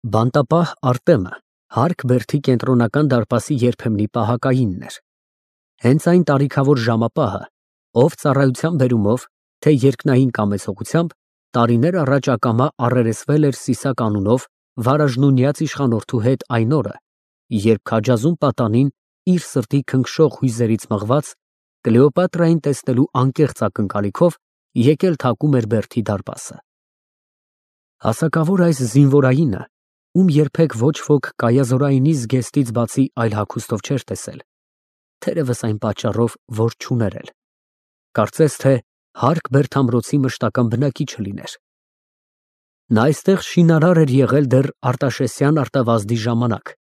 Բանտապահ Արտեմը հարկ բերդի կենտրոնական դարպասի երբեմնի պահակայինն էր։ Հենց այն տարիքավոր ժամապահը, ով ծառայության բերումով, թե երկնային կամեցողությամբ, տարիներ առաջ ակամա առերեսվել էր Սիսակ անունով վարաժնունյաց իշխանորդու հետ այն օրը, երբ քաջազում պատանին իր սրտի քնքշող հույզերից մղված, Կլեոպատրային տեսնելու անկեղծ ակնկալիքով եկել թակում էր բերդի դարպասը։ Հասակավոր այս զինվորայինը, ում երբեք ոչ ոք կայազորայինի զգեստից բացի այլ հագուստով չէր տեսել, թերևս այն պատճառով, որ չուներ էլ, կարծես թե հարկ բերդամրոցի մշտական բնակիչը լիներ։ Նա այստեղ շինարար էր եղել դեռ Արտաշեսյան արտավազդի ժամանակ,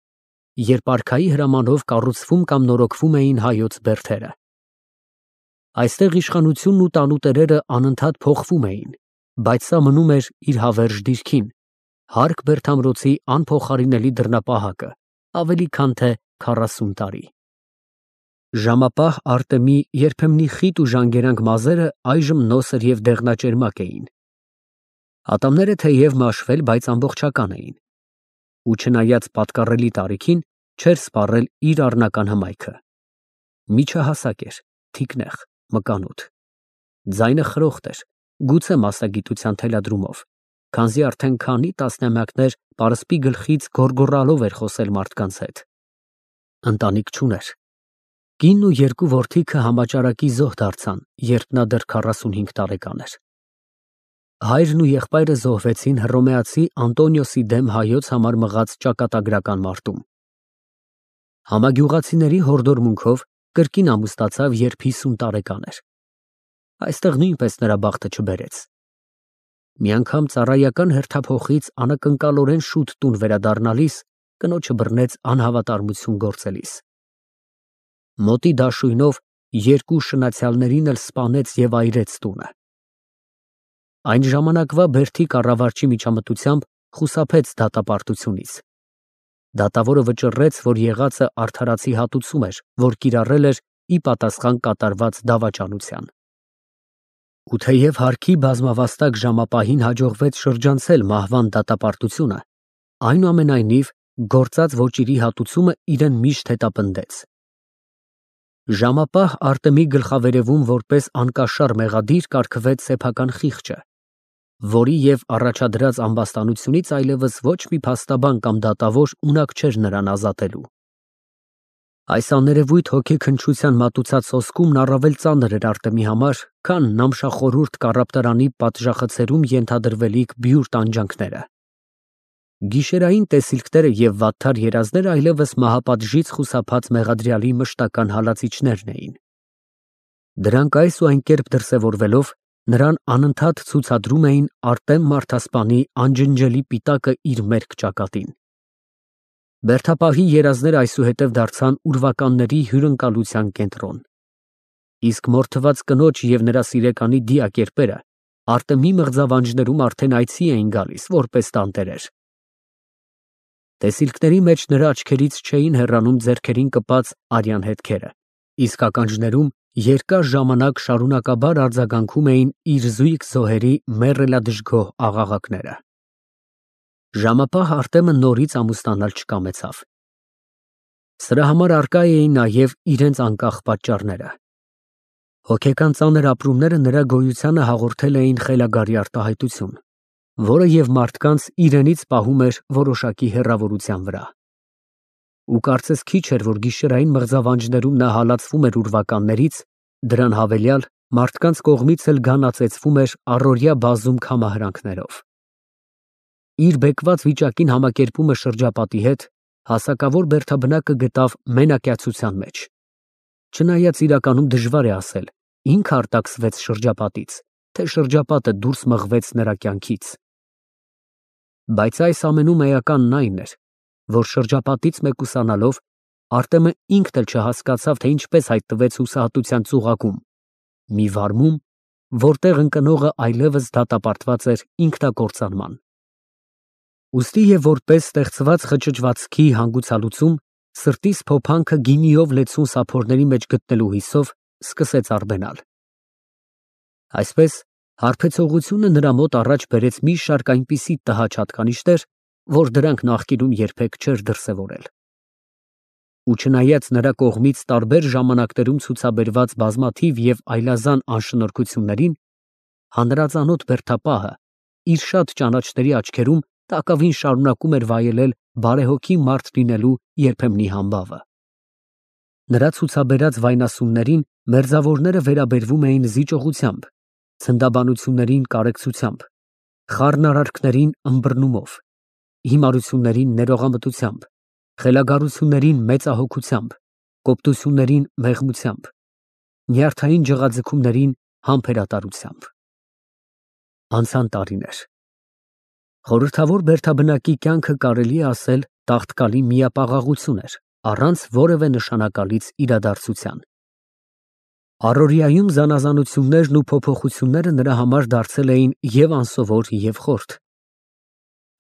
երբ արքայի հրամանով կառուցվում կամ նորոգվում էին հայոց բերդերը։ Այստեղ իշխանությունն ու տանուտերերը անընդհատ փոխվում էին, բայց սա մնում էր իր հավերժ դիրքին, հարկ բերդամրոցի անփոխարինելի դռնապահակը, ավելի քան թե 40 տարի։ Ժամապահ Արտեմի երբեմնի խիտ ու ժանգերանք մազերը այժմ նոսր և դեղնաճերմակ էին։ Ատամները թեև մաշվել, բայց ամբողջական էին, ու չնայած պատկառելի տարիքին, չէր սպառել իր առնական հմայքը։ Միջահասակ էր, թիկնեղ, մկանոտ։ Ձայնը խրոխտ էր, գուցե մասնագիտության թելադրումով, քանզի արդեն քանի տասնամյակներ պարսպի գլխից գոռգոռալով էր խոսել մարդկանց հետ։ Ընտանիք չուներ։ Կինն ու երկու որդիքը համաճարակի զոհ դարձան, երբ նա դեռ 45 տարեկան էր։ Հայրն ու եղբայրը զոհվեցին հռոմեացի Անտոնիոսի դեմ հայոց համար մղած ճակատագրական մարտում։ Համագյուղացիների հորդորմունքով կրկին ամուսնացավ, երբ 50 տարեկան էր։ Այստեղ նույնպես նրա բախտը չբերեց։ Մի անգամ ծառայական հերթափոխից անակնկալորեն շուտ տուն վերադառնալիս կնոջը բռնեց անհավատարմություն գործելիս։ Մոտի դաշույնով երկու շնացյալներին էլ սպանեց և այրեց տունը։ Այն ժամանակվա բերդի կառավարչի միջամտությամբ խուսափեց դատապարտությունից։ Դատավորը վճռեց, որ եղածը արդարացի հատուցում էր, որ կիրառել էր ի պատասխան կատարված դավաճանության։ Ու թեև հարկի բազմավաստակ ժամապահին հաջողվեց շրջանցել մահվան դատապարտությունը, այնուամենայնիվ գործած ոճիրի հատուցումը իրեն միշտ հետապնդեց։ Ժամապահ Արտեմի գլխավերևում որպես անկաշար մեղադիր կարգվեց սեփական խիղճը, որի և առաջադրած ամբաստանությունից այլևս ոչ մի փաստաբան կամ դատավոր ունակ չէր նրան ազատելու։ Այս աներևույթ հոգեքնչության մատուցած սոսկումն առավել ծանր էր Արտեմի համար, քան Նամշախորհուրդ կառապտարանի պատժախցերում ենթադրվելիք բյուր տանջանքները։ Գիշերային տեսիլքները և վատթար երազները այլևս մահապատժից խուսափած մեղադրյալի մշտական հալածիչներն էին։ Դրանք այս ու այն կերպ դրսևորվելով նրան անընդհատ ցուցադրում էին Արտեմ Մարդասպանի անջնջելի պիտակը իր մերկ ճակատին։ Բերդապահի երազները այսուհետև դարձան ուրվականների հյուրընկալության կենտրոն։ Իսկ մորթված կնոջ և նրա սիրեկանի դիակերպերը Արտեմի մղձավանջներում արդեն այցի էին գալիս, որպես տանտերեր։ Տեսիլքների մեջ նրա աչքերից չէին հեռանում ձեռքերին կպած արյան հետքերը, իսկ ականջներում երկար ժամանակ շարունակաբար արձագանքում էին իր զույգ զոհերի մեռելադժգոհ աղաղակները։ Ժամապահ Արտեմը նորից ամուսնանալ չկամեցավ։ Սրա համար առկա էին նաև իրենց անկախ պատճառները։ Հոգեկան ծանր ապրումները նրա գոյությանը հաղորդել էին խելագարի արտահայտություն, որը և մարդկանց իրենից պահում էր որոշակի հեռավորության վրա։ Ու կարծես քիչ էր, որ գիշերային մղձավանջներում նա հալածվում էր ուրվականներից, դրան հավելյալ մարդկանց կողմից էլ գանածեցվում էր առօրյա բազում քամահրանքներով։ Իր բեկված վիճակին համակերպումը շրջապատի հետ հասակավոր բերդաբնակը գտավ մենակյացության մեջ։ Չնայած իրականում դժվար է ասել, ինքը արտաքսվեց շրջապատից, թե շրջապատը դուրս մղվեց նրա կյանքից։ Բայց այս ամենում էականն այն էր, որ շրջապատից մեկուսանալով Արտեմը ինքն էլ չհասկացավ, թե ինչպես հայտնվեց հուսահատության ծուղակում, մի վարմում, որտեղ ընկնողը այլևս դատապարտված էր ինքնակործանման։ Ուստի և որպես ստեղծված խճճվածքի հանգուցալուծում, սրտիս փոփանքը գինիով լեցուն սափորների մեջ գտնելու հույսով սկսեց արբենալ։ Այսպես հարբեցողությունը նրա մոտ առաջ բերեց մի շարք այնպիսի տհաճ հատկանիշներ, որ դրանք նախկինում երբեք չէր դրսևորել։ Ու չնայած նրա կողմից տարբեր ժամանակներում ցուցաբերված բազմաթիվ և այլազան անշնորհքություններին, հանրածանոթ բերդապահը իր շատ ճանաչների աչքերում տակավին շարունակում էր վայելել բարեհոգի մարդ լինելու երբեմնի համբավը։ Նրա ցուցաբերած վայնասուններին մերձավորները վերաբերվում էին զիջողությամբ, ցնդաբանություններին կարեկցությամբ, խառնարարքներին ըմբռնումով, հիմարություններին ներողամտությամբ, խելագարություններին մեծահոգությամբ, կոպտություններին մեղմությամբ, նյարդային ջղաձգումներին համբերատարությամբ։ Անցան տարիներ։ Խորհրդավոր բերդաբնակի կյանքը կարելի է ասել տաղտկալի միապաղաղություն էր, առանց որևէ նշանակալից իրադարձության։ Առօրյայում զանազանություններն ու փոփոխությունները նրա համար դարձել էին և անսովոր, և խորթ։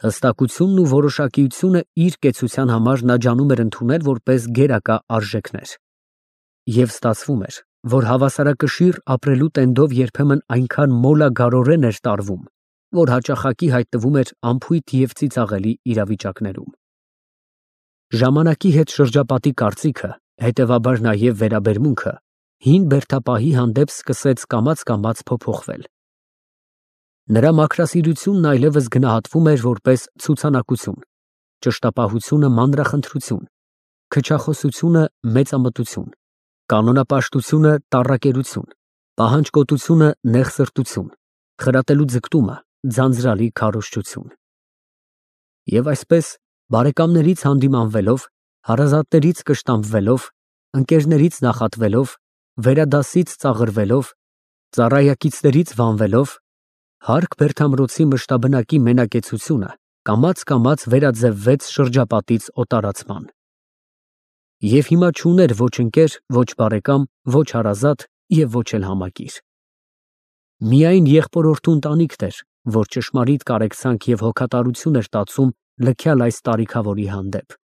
Հստակությունն ու որոշակիությունը իր կեցության համար նա ջանում էր ընդունել որպես գերակա արժեքներ։ Եվ ստացվում էր, որ հավասարակշիռ ապրելու տենդով երբեմն այնքան մոլագարորեն էր տարվում, որ հաճախակի հայտնվում էր անփույթ և ծիծաղելի իրավիճակներում։ Ժամանակի հետ շրջապատի կարծիքը, հետևաբար նաև վերաբերմունքը, հին բերդապահի հանդեպ սկսեց կամաց փոփոխվել։ Նրա մաքրասիրությունն այլևս գնահատվում էր որպես ցուցանակություն, ճշտապահությունը մանրախնդրություն, քչախոսությունը մեծամտություն, կանոնապաշտությունը տառակերություն, պահանջկոտությունը նեղսրտություն, խրատելու ձգտումը ձանձրալի քարոզչություն։ Եվ այսպես, բարեկամներից հանդիմանվելով, հարազատներից կշտամբվելով, ընկերներից նախատվելով, վերադասից ծաղրվելով, ծառայակիցներից վանվելով, հարկ Բերդամրոցի մշտաբնակի մենակեցությունը կամաց վերաձևվեց շրջապատից օտարացման։ Եվ հիմա չուներ ոչ ընկեր, ոչ բարեկամ, ոչ հարազատ և ոչ էլ համակիր։ Միայն եղբորորդու ընտանիքն էր, որ ճշմարիտ կարեկցանք և հոգատարություն էր տածում լքյալ այս տարիքավորի հանդեպ։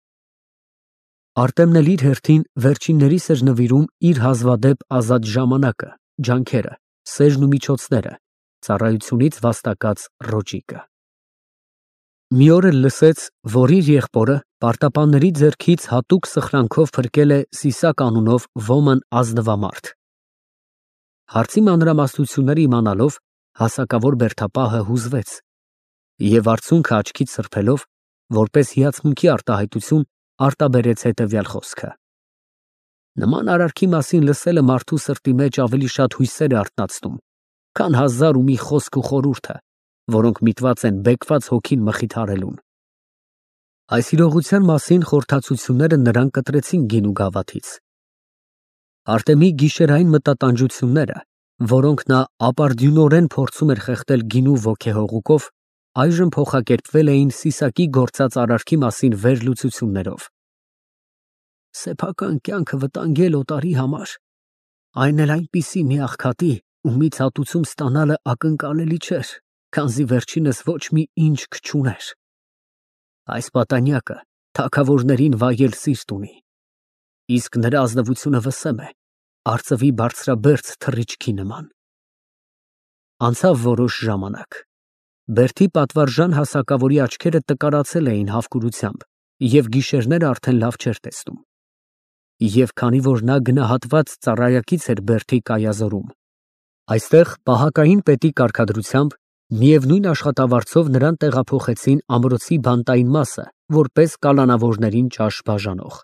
Արտեմն էլ իր հերթին վերջիններիս էր նվիրում իր հազվադեպ ազատ ժամանակը, ջանքերը, սերն ու միջոցները, ծառայությունից վաստակած ռոճիկը։ Մի օր էլ լսեց, որ իր եղբորը պարտապանների ձեռքից հատուկ սխրանքով փրկել է Սիսակ անունով ոմն ազնվամարդ։ Հարցի մանրամասնությունները իմանալով, հասակավոր բերդապահը հուզվեց և արցունքը աչքից սրբելով, որպես հիացմունքի արտահայտություն, արտաբերեց հետևյալ խոսքը. նման արարքի մասին լսելը մարդու սրտի մեջ ավելի շատ հույսեր է արթնացնում, քան հազար ու մի խոսք ու խորհուրդը, որոնք միտված են բեկված հոգին մխիթարելուն։ Այս իրողության մասին խորհրդածությունները նրան կտրեցին գինու գավաթից։ Արտեմի գիշերային մտատանջությունները, որոնք նա ապարդյունորեն փորձում էր խեղդել գինու ոգեհողուկով, այժմ փոխակերպվել էին Սիսակի գործած արարքի մասին վերլուծություններով։ Սեփական կյանքը վտանգել օտարի համար, այն էլ այնպիսի մի աղքատի, ումից հատուցում ստանալը ակնկալելի չէր, քանզի վերջինս ոչ մի ինչ չուներ։ Այս պատանյակը թագավորներին վայել սիրտ ունի, իսկ նրա ազնվությունը վսեմ է, արծվի բարձրաբերձ թռիչքի նման։ Անցավ որոշ ժամանակ։ Բերդի պատվարժան հասակավորի աչքերը տկարացել էին հավկուրությամբ, և գիշերները արդեն լավ չէր տեսնում։ Եվ քանի որ նա գնահատված ծառայակից էր Բերդի կայազորում, այստեղ պահակային պետի կարգադրությամբ միևնույն աշխատավարձով նրան տեղափոխեցին ամրոցի բանտային մասը, որպես կալանավորներին ճաշ բաժանող։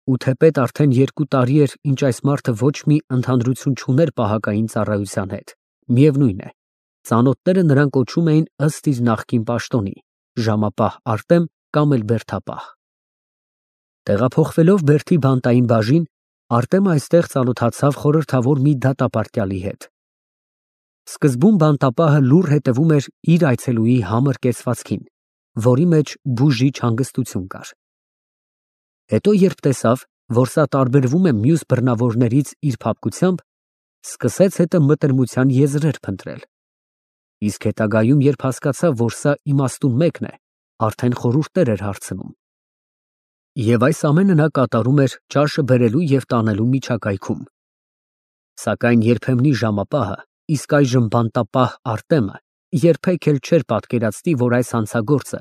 Ու թեպետ արդեն 2 տարի էր, ինչ այս մարդը ոչ մի ընդհանրություն չուներ պահակային ծառայության հետ, միևնույն է, ծանոթները նրան կոչում էին ըստ իր նախկին պաշտոնի՝ ժամապահ Արտեմ կամ էլ բերդապահ։ Տեղափոխվելով Բերդի բանտային բաժին, Արտեմը այստեղ ծանոթացավ խորհրդավոր մի դատապարտյալի հետ։ Սկզբում բանտապահը լուռ հետևում էր իր այցելուի համր կեցվածքին, որի մեջ բուժիչ հանգստություն կար։ Հետո երբ տեսավ, որ սա տարբերվում է մյուս բռնավորներից իր փափկությամբ, սկսեց հետը մտերմության եզրեր փնտրել։ Իսկ հետագայում, երբ հասկացավ, որ սա իմաստուն մեկն է, արդեն խորհուրդներ էր հարցնում։ Եվ այս ամենը նա կատարում էր ճաշը բերելու և տանելու միջակայքում։ Սակայն երբեմնի ժամապահը, իսկ այժմ բանտապահ Արտեմը երբեք էլ չէր պատկերացնի, որ այս հանցագործը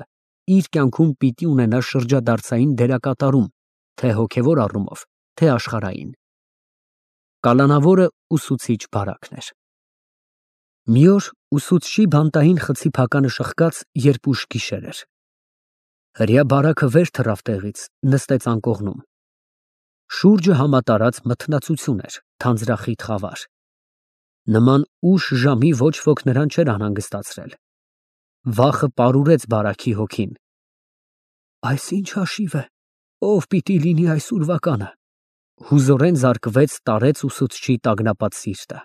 իր կյանքում պիտի ունենա շրջադարձային դերակատարում, թե հոգևոր առումով, թե աշխարհային։ Կալանավորը ուսուցիչ բարակն էր։ Մի օր ուսուցչի բանտային խցի փականը շխկաց, երբ ուշ գիշեր էր։ Հրեա բարակը վեր թռավ տեղից, նստեց անկողնում։ Շուրջը համատարած մթնացություն էր, թանձրախիտ խավար։ Նման ուշ ժամի ոչ ոք նրան չէր անհանգստացրել։ Վախը պարուրեց բարաքի հոգին։ Այս ինչ հաշիվ է, ով պիտի լինի այս ուրվականը։ Հուզորեն զարկվեց տարեց ուսուցչի տագնապած սիրտը։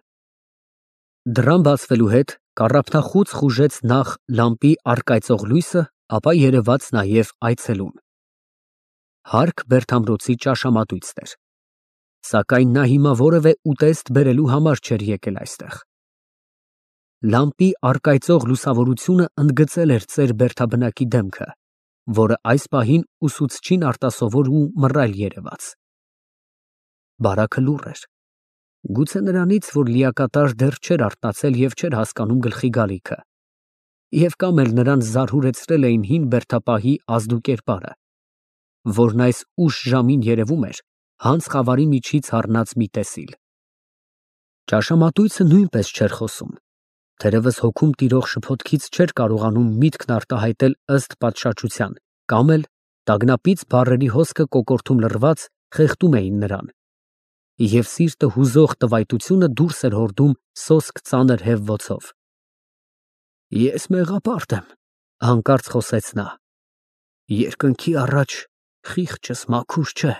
Դռան բացվելու հետ կառափնախուց խուժեց նախ լամպի առկայծող լույսը, ապա երևաց նաև այցելուն։ Հարկ Բերթամրոցի ճաշամատույցն էր։ Սակայն նա հիմա որևէ ուտեստ բերելու համար չէր եկել այստեղ։ Լամպի առկայծող լուսավորությունը ընդգծել էր ծեր Բերթաբնակի դեմքը, որը այս պահին ուսուցչին արտասովոր ու մռայլ երևաց։ Բարակը լուռ էր։ Գուցե նրանից, որ լիակատար դեռ չէր արթնացել և չէր հասկանում գլխի գալիքը, և կամ էլ նրան զարհուրեցրել էին հին բերդապահի ազդու կերպարը, որն այս ուշ ժամին երևում էր հանց խավարի միջից հառնած մի տեսիլ։ Ճաշամատույցը նույնպես չէր խոսում, թերևս հոգում տիրող շփոթքից չէր կարողանում միտքն արտահայտել ըստ պատշաճության, կամ էլ տագնապից բառերի հոսքը կոկորդում լռված խեղդում էին նրան, և սիրտը հուզող տվայտությունը դուրս էր հորդում սոսկ ծանր հևվոցով։ Ես մեղապարտ եմ, հանկարծ խոսեց նա։ Երկնքի առաջ խիղճս մաքուր չէ։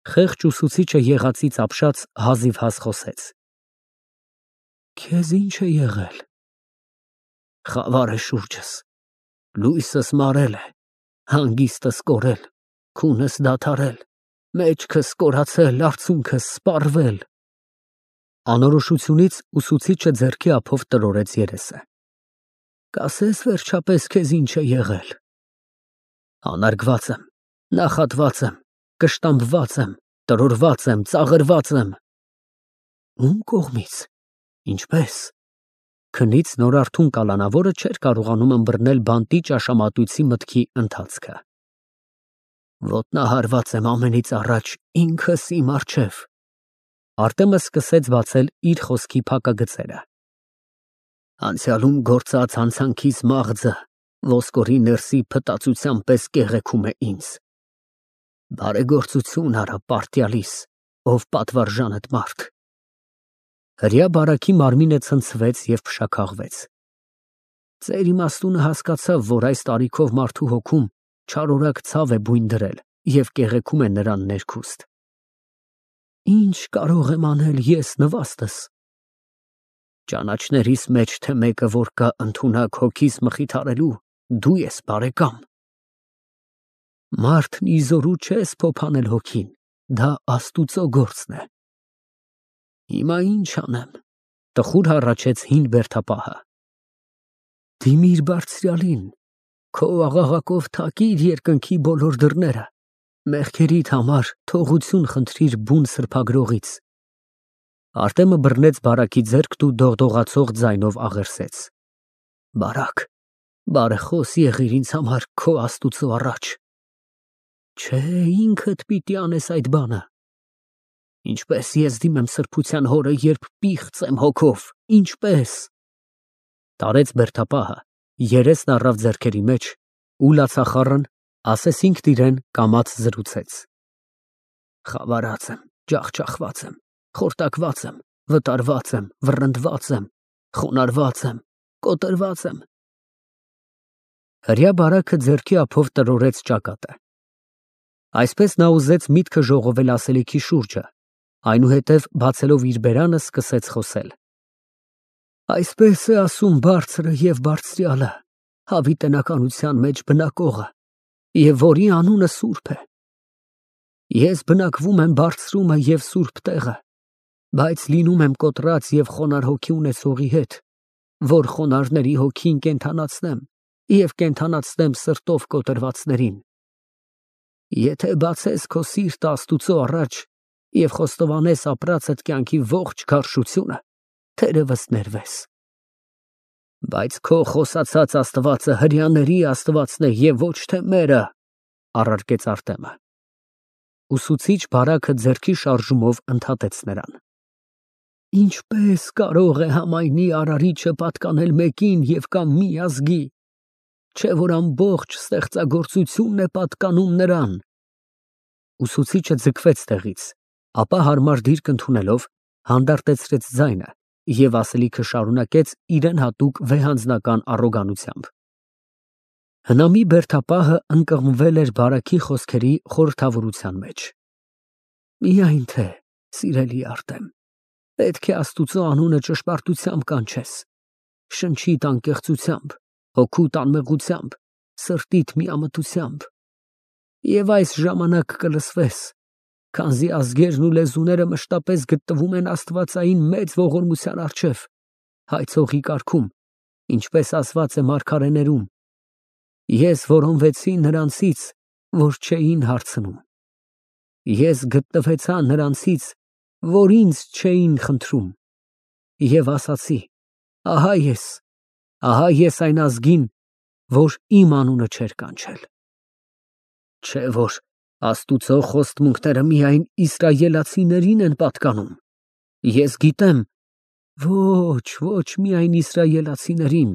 Խեղճ ուսուցիչը եղածից ապշած հազիվհազ խոսեց. Քեզ ինչ է եղել։ Խավար է շուրջս, լույսս մարել է, հանգիստս կորել, քունս դադարել, մեջքս կորացել, արցունքս սպառվել։ Անորոշությունից ուսուցիչը ձեռքի ափով տրորեց երեսը։ Կասես վերջապես քեզ ինչ է եղել։ Անարգված եմ, նախատված եմ, կշտամբված եմ, տրորված եմ, ծաղրված եմ։ Ում կողմից, ինչպես։ Քնից նորարթուն կալանավորը չէր կարողանում ըմբռնել բանտի ճաշամատույցի մտքի ընթացքը։ Ոտնահարված եմ ամենից առաջ ինքս իմ առջև։ Արտեմը սկսեց բացել իր խոսքի փակագծերը։ Անցյալում գործած հանցանքիս մաղձը ոսկորի ներսի փտացության պես կեղեքում է ինձ։ Բարեգործություն արա պարտյալիս, ով պատվարժանդ մարդ։ Հրեա բարաքի մարմինը ցնցվեց և փշաքաղվեց։ Ծեր իմաստունը հասկացավ, որ այս տարիքով մարդու հոգում չարորակ ցավ է բույն դրել և կեղեքում է նրան ներքուստ։ Ինչ կարող եմ անել ես նվաստս։ Ճանաչներիս մեջ թե մեկը, որ կա ընդունակ հոգիս մխիթարելու, դու ես, բարեկամ։ Մարդն իզորու չես փոփանել հոգին, դա Աստուծո գործն է։ Հիմա ինչ անեմ, տխուր հառաչեց հին բերդապահը։ Դիմիր բարձրյալին, քո աղաղակով թակիր երկնքի բոլոր դռները, մեղքերիդ համար թողություն խնդրիր բուն սրբագրողից։ Արտեմը բռնեց բարակի ձեռքն ու դողդողացող ձայնով աղերսեց. Բարակ, բարեխոս եղիր ինձ համար քո Աստուծո առաջ։ Չէ, ինքդ պիտի անես այդ բանը։ Ինչպես ես դիմեմ սրբության հորը, երբ պիղծ եմ հոգով, ինչպես։ Տարեց բերդապահը, երեսն առավ ձեռքերի մեջ ու լացախառն, ասես ինքն իրեն կամաց զրուցեց. Խավարած եմ, ջախջախված եմ, խորտակված եմ, վտարված եմ, վռնդված եմ, խոնարհված եմ, կոտրված եմ։ Հրեա բարակը ձեռքի ափով տրորեց ճակատը։ Այսպես նա ուզեց միտքը ժողովել ասելիքի շուրջը, այնուհետև բացելով իր բերանը սկսեց խոսել։ Այսպես է ասում բարձրը և բարձրյալը, հավիտենականության մեջ բնակողը, և որի անունը սուրբ է։ Ես բնակվում եմ բարձրումը և սուրբ տեղը, բայց լինում եմ կոտրած և խոնարհ հոգի ունեցողի հետ, որ խոնարհների հոգին կենդանացնեմ և կենդանացնեմ սրտով կոտրվածներին։ Եթե բացես քո սիրտը Աստուծո առաջ և խոստովանես ապրածդ կյանքի ողջ գարշությունը, թերևս ներվես։ Բայց քո խոսացած Աստվածը հրեաների Աստվածն է եւ ոչ թե մերը, առարկեց Արտեմը։ Ուսուցիչ բարակը ձեռքի շարժումով ընդհատեց նրան։ Ինչպես կարող է համայնի արարիչը պատկանել մեկին եւ կամ մի ազգի, չէ որ ամբողջ ստեղծագործությունն է պատկանում նրան։ Ուսուցիչը ձգվեց տեղից, ապա հարմար դիրք ընդունելով հանդարտեցրեց ձայնը եւ ասելիքը շարունակեց իրեն հատուկ վեհանձնական առոգանությամբ։ Հնամի բերդապահը ընկղմվել էր բարակի խոսքերի խորհրդավորության մեջ։ Միայն թե, սիրելի Արտեմ, պետք է Աստուծո անունը ճշմարտությամբ կանչես, շնչիդ անկեղծությամբ, հոգուդ անմեղությամբ, սրտիդ միամտությամբ։ Եվ այս ժամանակ կլսվես, քանզի ազգերն ու լեզուները մշտապես գտնվում են Աստվածային մեծ ողորմության առջև, հայցողի կարգում, ինչպես ասված է մարգարեներում. ես որոնվեցի նրանցից, որ չէին հարցնում, ես գտնվեցա նրանցից, որ ինձ չէին խնդրում, եւ ասացի. ահա ես այն ազգին, որ իմ անունը չէր կանչել։ Չէ որ Աստուծո խոստմունքները միայն իսրայելացիներին են պատկանում։ Ես գիտեմ, ոչ միայն իսրայելացիներին,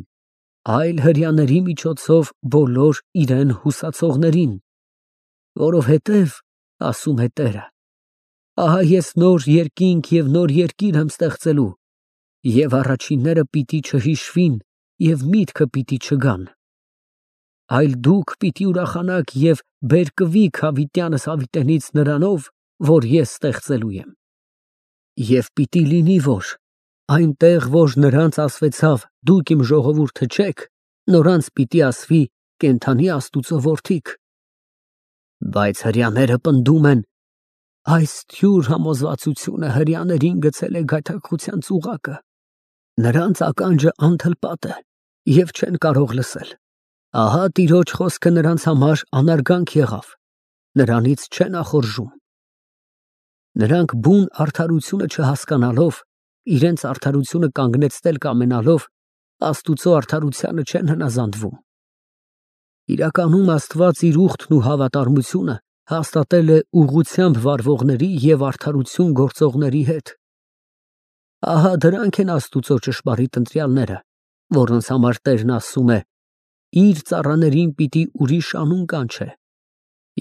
այլ հրեաների միջոցով բոլոր իրեն հուսացողներին, որովհետև, ասում է Տերը, ահա ես նոր երկինք և նոր երկիր եմ ստեղծելու, և առաջինները պիտի չհիշվին և միտքը պիտի չգան, այլ դուք պիտի ուրախանաք և բերկվիք հավիտյանս հավիտենից նրանով, որ ես ստեղծելու եմ։ Եվ պիտի լինի, որ այնտեղ, որ նրանց ասվեցավ, դուք իմ ժողովուրդը չեք, նորանց պիտի ասվի կենդանի Աստուծո որդիք։ Բայց հրեաները պնդում են, այս թյուր համոզվածությունը հրեաներին գցել է գայթակղության ծուղակը, նրանց ականջը անթլպատ է և չեն կարող լսել։ Ահա Տիրոջ խոսքը նրանց համար անարգանք եղավ, նրանից չեն նախորժում։ Նրանք բուն արդարությունը չհասկանալով, իրենց արդարությունը կանգնեցնել կամենալով, Աստուծո արդարությանը չեն հնազանդվում։ Իրականում Աստված իր ուխտն ու հավատարմությունը հաստատել է ուղղությամբ վարվողների և արդարություն գործողների հետ։ Ահա դրանք են Աստուծո ճշմարիտ ընտրյալները, որոնց համար Տերն ասում է. իր ծառաներին պիտի ուրիշ անուն կանչե,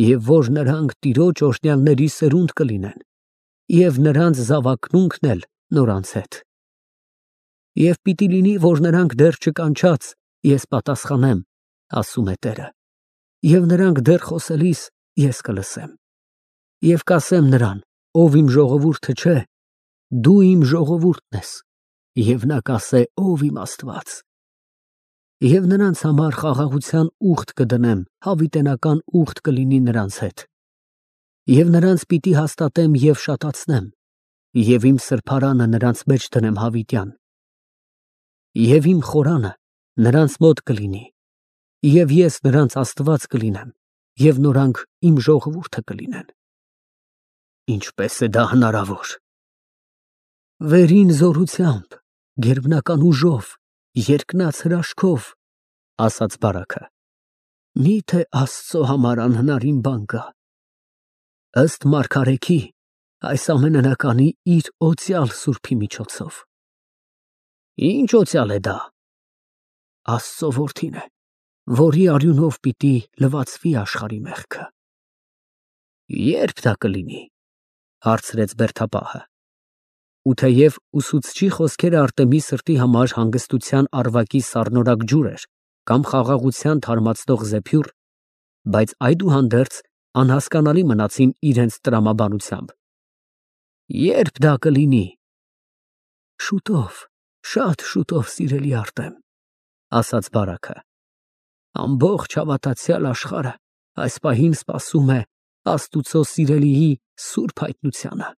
և որ նրանք Տիրոջ օրհնյալների սերունդ կլինեն, և նրանց զավակնունքն էլ նորանց հետ։ Եվ պիտի լինի, որ նրանք դեռ չկանչած, ես պատասխանեմ, ասում է Տերը, և նրանք դեռ խոսելիս ես կլսեմ։ Եվ կասեմ նրան, ով իմ ժողովուրդը չէ, դու իմ ժողովուրդն ես, և նա կասե, ով իմ Աստված։ Եվ նրանց համար խաղաղության ուխտ կդնեմ, հավիտենական ուխտ կլինի նրանց հետ։ Եվ նրանց պիտի հաստատեմ և շատացնեմ, և իմ սրբարանը նրանց մեջ դնեմ հավիտյան։ Եվ իմ խորանը նրանց մոտ կլինի, և ես նրանց Աստված կլինեմ, և նորանք իմ ժողովուրդը կլինեն։ Ինչպես է դա հնարավոր։ Վերին զորությամբ, գերբնական ուժով, երկնաց հրաշքով, ասաց բարակը, միթե Աստծո համար անհնարին բան կա։ Ըստ մարգարեքի, այս ամենը նա կանի իր օծյալ Սուրբի միջոցով։ Ինչ օծյալ է դա։ Աստծո որդին է, որի արյունով պիտի լվացվի աշխարհի մեղքը։ Ե՞րբ դա կլինի, հարցրեց բերդապահը։ Ու թեև ուսուցչի խոսքերը Արտեմի սրտի համար հանգստության առվակի սառնորակ ջուր էր կամ խաղաղության թարմացնող զեփյուռ, բայց այդուհանդերձ անհասկանալի մնացին իրենց տրամաբանությամբ։ Ե՞րբ դա կլինի։ Շուտով, շատ շուտով, սիրելի Արտեմ, ասաց բարակը։ Ամբողջ հավատացյալ աշխարհը այս պահին սպասում է Աստուծո սիրելիի սուրբ հայտնությանը։